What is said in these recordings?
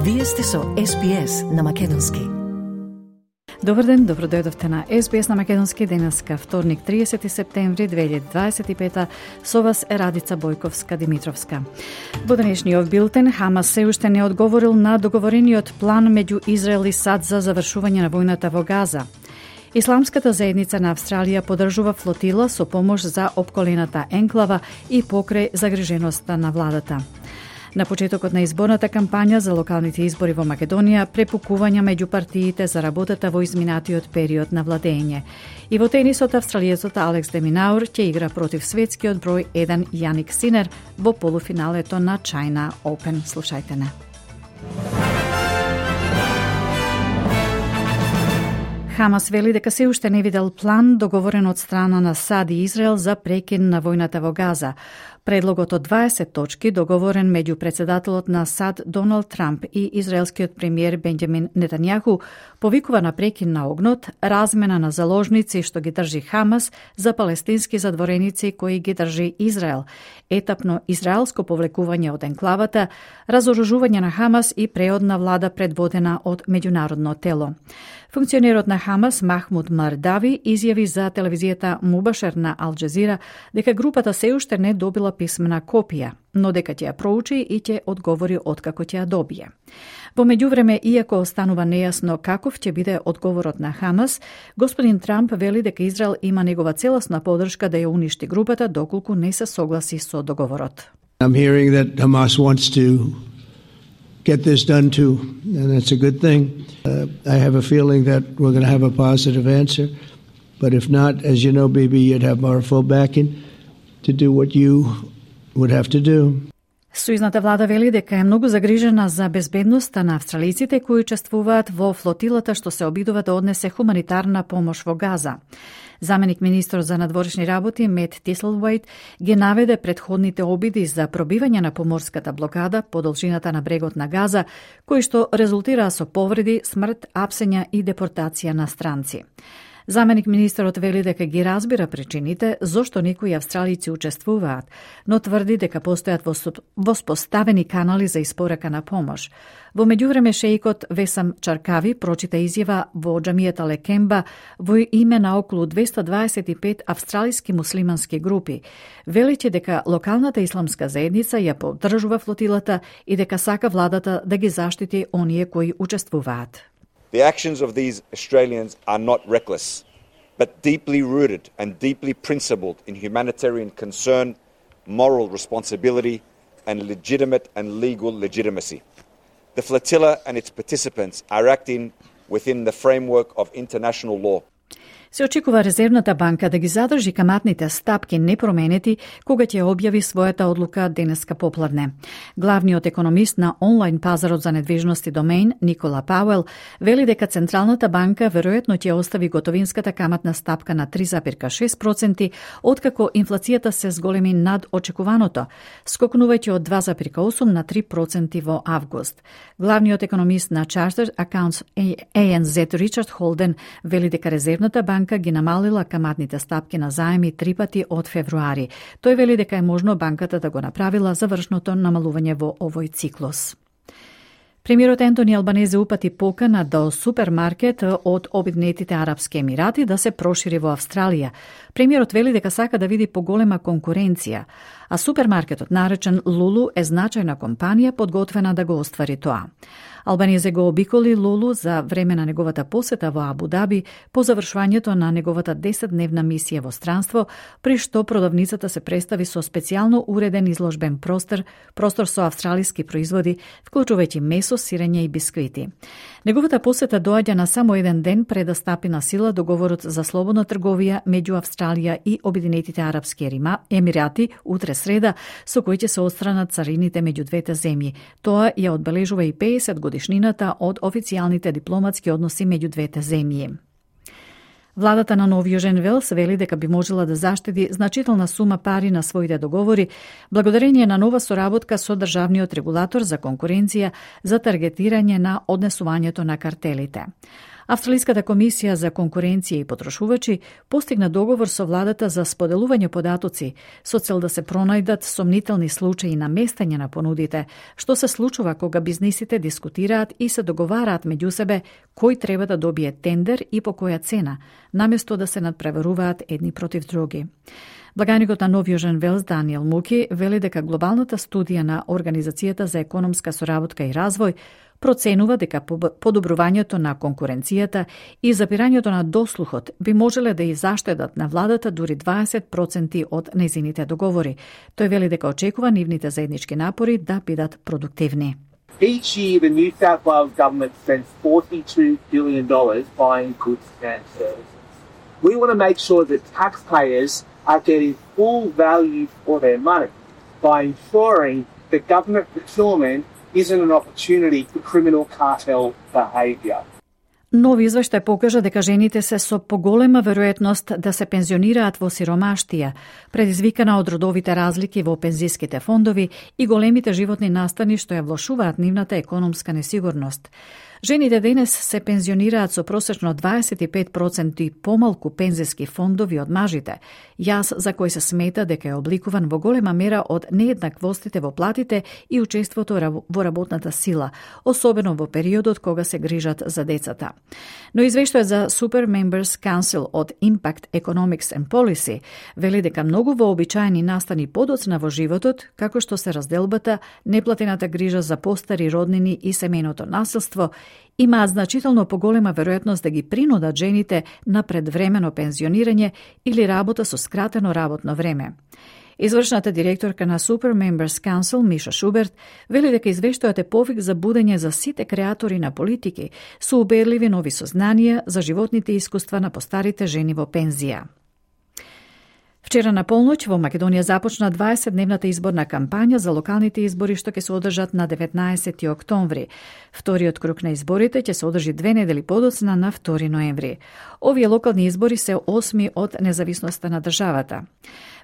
Вие сте со SBS на Македонски. Добар ден, добродојдовте на SBS на Македонски. Денеска вторник, 30 септември 2025. Со вас е Радица Бојковска-Димитровска. Во денешниот билтен, Хамас се уште не одговорил на договорениот план меѓу Израел и САД за завршување на војната во Газа. Исламската заедница на Австралија поддржува флотила со помош за опколената енклава и покрај загриженоста на владата. На почетокот на изборната кампања за локалните избори во Македонија, препукувања меѓу партиите за работата во изминатиот период на владење. И во тенисот, австралиецот Алекс де Минаур ќе игра против светскиот број 1 Јаник Синер во полуфиналето на China Open. Слушајте не. Хамас вели дека се уште не видел план договорен од страна на САД и Израел за прекин на војната во Газа. Предлогот од 20 точки, договорен меѓу председателот на САД Доналд Трамп и израелскиот премиер Бенџамин Нетањаху, повикува на прекин на огнот, размена на заложници што ги држи Хамас за палестински задвореници кои ги држи Израел, етапно израелско повлекување од енклавата, разоружување на Хамас и преодна влада предводена од меѓународно тело. Функционерот на Хамас Махмуд Мардави изјави за телевизијата Мубашер на Ал Джазира дека групата се уште не добила писмена копија, но дека ќе ја проучи и ќе одговори откако ќе ја добие. Во меѓувреме, иако останува нејасно каков ќе биде одговорот на Хамас, господин Трамп вели дека Израел има негова целосна поддршка да ја уништи групата доколку не се согласи со договорот. I'm hearing that Hamas wants to get this done too, and that's a good thing. I have a feeling that we're going to have a positive answer, but if not, as you know, baby, you'd have our full backing to do what you would have to do. Сојузната влада вели дека е многу загрижена за безбедноста на австралиците кои учествуваат во флотилата што се обидува да однесе хуманитарна помош во Газа. Заменик министр за надворешни работи Мет Тислвајт ги наведе претходните обиди за пробивање на поморската блокада по должината на брегот на Газа, кои што резултираа со повреди, смрт, апсења и депортација на странци. Заменик министерот вели дека ги разбира причините зошто некои австралици учествуваат, но тврди дека постојат воспоставени канали за испорака на помош. Во меѓувреме, шеикот Весам Чаркави прочита изјава во џамијата Лекемба во име на околу 225 австралиски муслимански групи, велејќи дека локалната исламска заедница ја поддржува флотилата и дека сака владата да ги заштити оние кои учествуваат. The actions of these Australians are not reckless, but deeply rooted and deeply principled in humanitarian concern, moral responsibility, and legitimate and legal legitimacy. The flotilla and its participants are acting within the framework of international law. Се очекува Резервната банка да ги задржи каматните стапки непроменети кога ќе објави својата одлука денеска попладне. Главниот економист на онлайн пазарот за недвижности Домеин, Никола Пауел, вели дека Централната банка веројатно ќе остави готовинската каматна стапка на 3,6%, откако инфлацијата се зголеми над очекуваното, скокнувајќи од 2,8 на 3% во август. Главниот економист на Chartered Accounts ANZ Ричард Холден вели дека Резервната банка ги намалила каматните стапки на заеми 3 пати од февруари. Тој вели дека е можно банката да го направила завршното намалување во овој циклус. Премиерот Ентони Албанезе упати покана до супермаркет од Обединетите Арапски Емирати да се прошири во Австралија. Премиерот вели дека сака да види поголема конкуренција, а супермаркетот наречен Лулу е значајна компанија подготвена да го оствари тоа. Албанезе го обиколи Лулу за време на неговата посета во Абу Даби по завршувањето на неговата 10-дневна мисија во странство, при што продавницата се представи со специјално уреден изложбен простор со австралиски производи, вклучувајќи месо, сирење и бисквити. Неговата посета доаѓа на само еден ден пред да стапи на сила договорот за слободна трговија меѓу Австралија и Обединетите Арапски Емирати утре среда, со кој ќе се отстранат царините меѓу двете земји. Тоа ја одбележува и 50 годишнината од официјалните дипломатски односи меѓу двете земји. Владата на Нов Јужен Велс вели дека би можела да заштеди значителна сума пари на своите договори благодарение на нова соработка со државниот регулатор за конкуренција за таргетирање на однесувањето на картелите. Австралиската комисија за конкуренција и потрошувачи постигна договор со владата за споделување податоци со цел да се пронајдат сомнителни случаи на местење на понудите, што се случува кога бизнисите дискутираат и се договараат меѓу себе кој треба да добие тендер и по која цена, наместо да се надпреваруваат едни против други. Благаникот на Нов Јужен Велс Даниел Муки вели дека глобалната студија на Организацијата за економска соработка и развој проценува дека подобрувањето на конкуренцијата и запирањето на дослухот би можеле да и заштедат на владата дури 20% од незините договори. Тој вели дека очекува нивните заеднички напори да бидат продуктивни. Each year, the New South Wales government spends $42 billion buying goods and services. We want to make sure that taxpayers are getting full value for their money by ensuring that government procurement isn't an opportunity for criminal cartel behaviour. Нови извештај покажа дека жените се со поголема веројатност да се пензионираат во сиромаштија, предизвикана од родовите разлики во пензиските фондови и големите животни настани што ја влошуваат нивната економска несигурност. Жените денес се пензионираат со просечно 25% помалку пензиски фондови од мажите, јас за кој се смета дека е обликуван во голема мера од нееднаквостите во платите и учеството во работната сила, особено во периодот кога се грижат за децата. Но извештајот за Super Members Council од Impact Economics and Policy вели дека многу вообичаени настани подоцна во животот, како што се разделбата, неплатената грижа за постари роднини и семејното насилство, имаат значително поголема веројатност да ги принудат жените на предвремено пензионирање или работа со скратено работно време. Извршната директорка на Super Members Council, Миша Шуберт, вели дека извештајот е повик за будење за сите креатори на политики со убедливи нови сознанија за животните искуства на постарите жени во пензија. Вчера на полноќ во Македонија започна 20-дневната изборна кампања за локалните избори што ќе се одржат на 19 октомври. Вториот круг на изборите ќе се одржи 2 недели подоцна на 2 ноември. Овие локални избори се 8 од независноста на државата.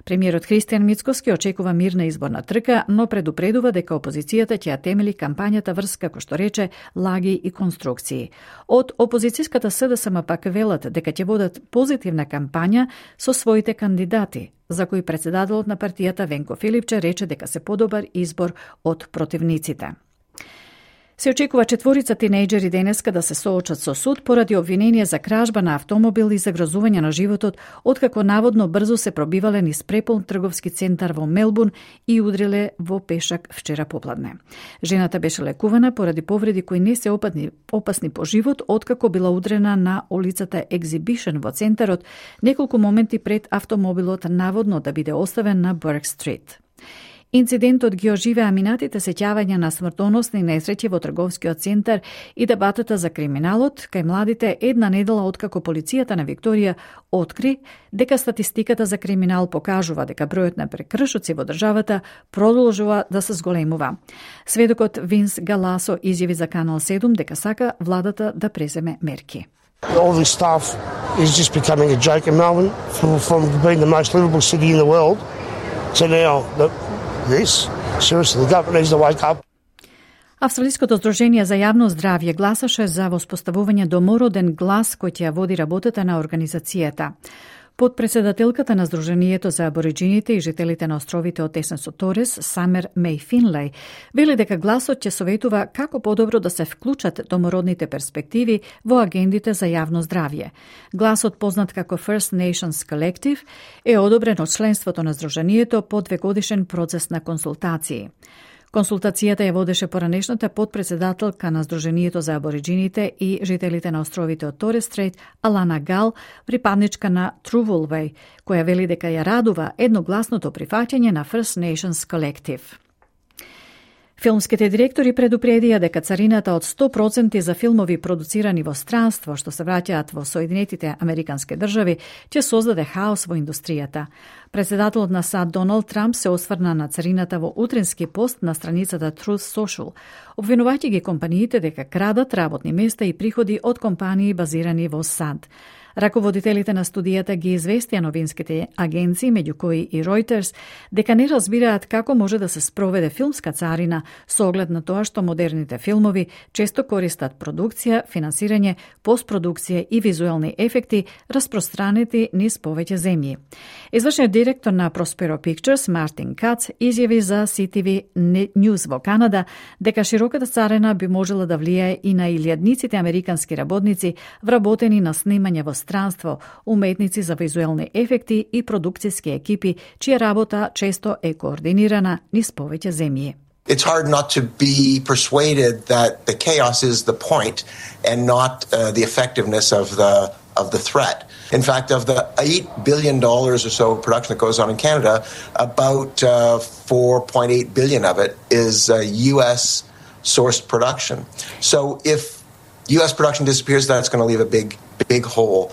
Премиерот Христијан Мицкоски очекува мирна изборна трка, но предупредува дека опозицијата ќе ја темели кампањата врз, како што рече, лаги и конструкции. Од опозицијската СДСМ пак велат дека ќе водат позитивна кампања со своите кандидати, за кои председателот на партијата Венко Филипче рече дека се подобар избор од противниците. Се очекува 4 тинејџери денеска да се соочат со суд поради обвинение за кражба на автомобил и загрозување на животот, откако наводно брзо се пробивале низ преполн трговски центар во Мелбурн и удриле во пешак вчера попладне. Жената беше лекувана поради повреди кои не се опасни по живот, откако била удрена на улицата Exhibition во центарот неколку моменти пред автомобилот наводно да биде оставен на Бурк Стрит. Инцидентот ги оживеа минатите сеќавања на смртоносни несреќи во трговскиот центар и дебатата за криминалот кај младите една недела откако полицијата на Викторија откри дека статистиката за криминал покажува дека бројот на прекршоци во државата продолжува да се зголемува. Сведокот Винс Галасо изјави за Канал 7 дека сака владата да преземе мерки. All this stuff is just becoming a joke in Melbourne from being the most livable city in the world to now this. Seriously, the government needs to wake up. Австралиското здружение за јавно здравје гласаше за воспоставување домороден глас кој ќе ја води работата на организацијата. Подпредседателката на Сдруженијето за абориџините и жителите на островите од тесен со Торес, Самер Меј Финлеј, вели дека гласот ќе советува како подобро да се вклучат домородните перспективи во агендите за јавно здравје. Гласот, познат како First Nations Collective, е одобрен од членството на Сдруженијето по 2-годишен процес на консултации. Консултацијата ја водеше поранешната подпредседателка на Сдруженијето за абориџините и жителите на островите од Торес Стрейт, Алана Гал, припадничка на Труволвеј, која вели дека ја радува едногласното прифаќање на First Nations Collective. Филмските директори предупредија дека царината од 100% за филмови продуцирани во странство, што се враќаат во Соединетите Американски држави, ќе создаде хаос во индустријата. Председателот на САД Доналд Трамп се осврна на царината во утренски пост на страницата Truth Social, обвинувајќи ги компаниите дека крадат работни места и приходи од компании базирани во САД. Раководителите на студијата ги известија новинските агенции, меѓу кои и Reuters, дека не разбираат како може да се спроведе филмска царина со оглед на тоа што модерните филмови често користат продукција, финансирање, постпродукција и визуелни ефекти распространети низ повеќе земји. Извршниот директор на Prospero Pictures, Мартин Кац, изјави за CTV News во Канада дека широката царина би можела да влијае и на илјадниците американски работници вработени на снимање во странство, уметници за визуелни ефекти и продукцијски екипи, чија работа често е координирана низ повеќе земји. It's hard not to be persuaded that the chaos is the point and not the effectiveness of the threat. In fact, of the $8 billion or so of production that goes on in Canada, about $4.8 billion of it is U.S. sourced production. So if U.S. production disappears, that's going to leave a big hole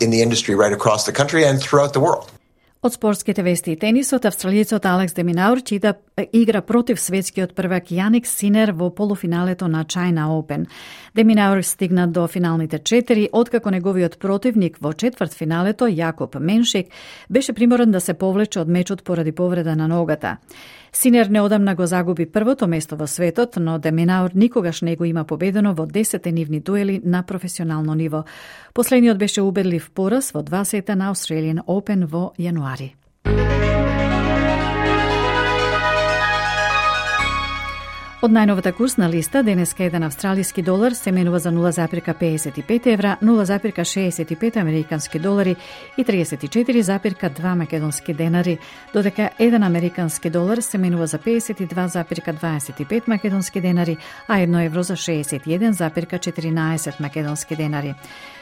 in the industry right across the country and throughout the world. Од спортските вести и тенисот, австралијецот Алекс де Минаур чита игра против светскиот првак Јаник Синер во полуфиналето на China Open. Де Минаур стигна до финалните 4, откако неговиот противник во четвртфиналето Јакоб Меншик беше приморен да се повлече од мечот поради повреда на ногата. Синер неодамна го загуби првото место во светот, но де Минаур никогаш не го има победено во 10 нивни дуели на професионално ниво. Последниот беше убедлив пораз во 2 сета на Australian Open во јануари. Од најновата курсна листа, денеска еден австралиски долар се менува за 0,55 евра, 0,65 американски долари и 34,2 македонски денари, додека еден американски долар се менува за 52,25 македонски денари, а 1 евро за 61,14 македонски денари.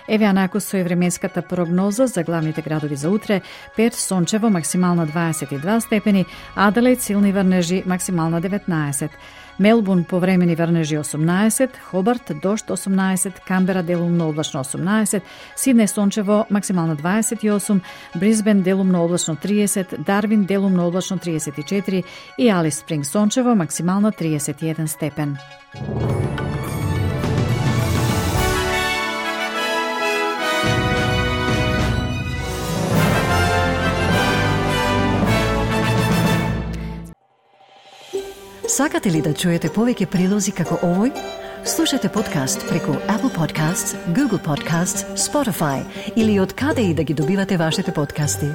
Еве анакус со временската прогноза за главните градови за утре: Перт сончево, максимално 22 степени, Аделаид силни врнежи, максимално 19. Мелбурн повремени врнежи 18, Хобарт дожд 18, Камбера делумно облачно 18, Сиднеј сончево, максимално 28, Брисбен делумно облачно 30, Дарвин делумно облачно 34 и Алис Спринг сончево, максимално 31 степен. Сакате ли да чуете повеќе прилози како овој? Слушате подкаст преку Apple Podcasts, Google Podcasts, Spotify или од каде и да ги добивате вашите подкасти.